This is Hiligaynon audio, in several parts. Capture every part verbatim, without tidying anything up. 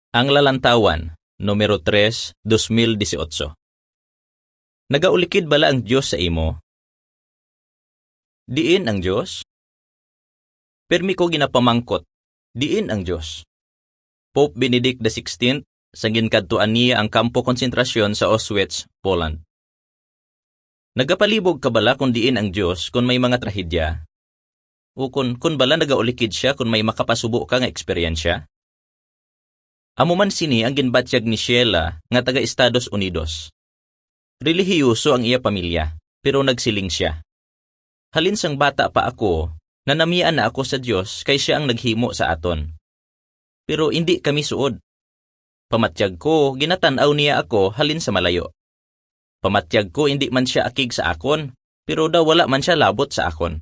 Ang Lalantawan, numero tres, dos mil dieciocho. Nagaulikid bala ang Dios sa imo? Diin ang Dios? Pirmi ko ginapamangkot, diin ang Dios? Pope Benedict the sixteenth, sa ginkadtuan niya ang kampo konsentrasyon sa Auschwitz, Poland. Nagapalibog ka bala kon diin ang Dios kon may mga trahedya? Ukon, kon bala nagaulikid siya kon may makapasubo ka nga eksperyensya? Amo man sini ang ginbatyag ni Sheila nga taga Estados Unidos. Relihiyoso ang iya pamilya, pero nagsiling sia, "Halin sang bata pa ako, nanamian na ako sa Dios kay sia ang naghimo sa aton. Pero indi kami suod. Pamatyag ko, ginatan-aw niya ako halin sa malayo. Pamatyag ko, indi man sia akig sa akon, pero daw wala man sia labot sa akon."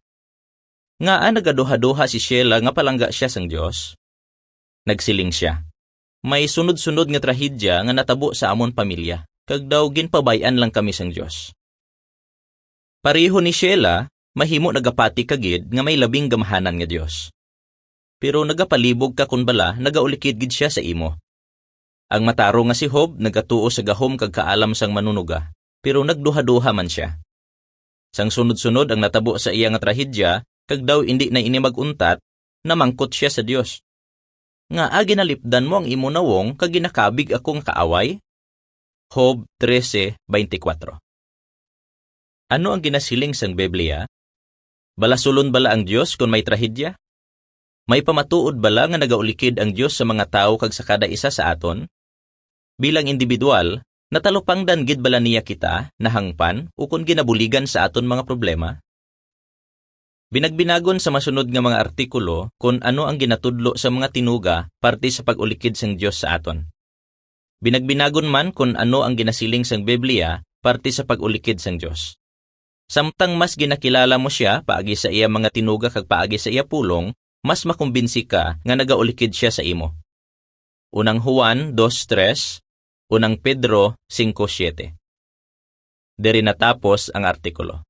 Ngaa nagaduhaduha si Sheila nga palangga sia sang Dios? Nagsiling sia, "May sunod-sunod nga trahedya nga natabo sa amon pamilya, kag daw ginpabay-an lang kami sang Dios." Pareho ni Sheila, mahimo nagapati ka gid nga may labing gamhanan nga Dios. Pero nagapalibog ka kon bala nagaulikid gid sia sa imo. Ang matarong nga si Job nagatuo sa gahom kag kaalam sang Manunuga, pero nagduhaduha man sia. Sang sunod-sunod ang natabo sa iya nga trahedya, kag daw indi na ini mag-untat, namangkot sia sa Dios, "Ngaa ginalipdan mo ang imo nawong kag ginakabig ako nga kaaway?" Job trese veinticuatro. Ano ang ginasiling sang Biblia? Balasulon bala ang Dios kon may trahedya? May pamatuod bala nga nagaulikid ang Dios sa mga tawo kag sa kada isa sa aton? Bilang individual, natalupangdan gid bala niya kita, nahangpan, ukon ginabuligan sa aton mga problema? Binagbinagon sa masunod nga mga artikulo kon ano ang ginatudlo sa mga tinuga parte sa pag-ulikid sang Dios sa aton. Binagbinagon man kon ano ang ginasiling sang Biblia parte sa pag-ulikid sang Dios. Samtang mas ginakilala mo sia paagi sa iya mga tinuga kag paagi sa iya pulong, mas makumbinsi ka nga nagaulikid sia sa imo. Unang Juan dos tres, Unang Pedro singko siete. Diri natapos ang artikulo.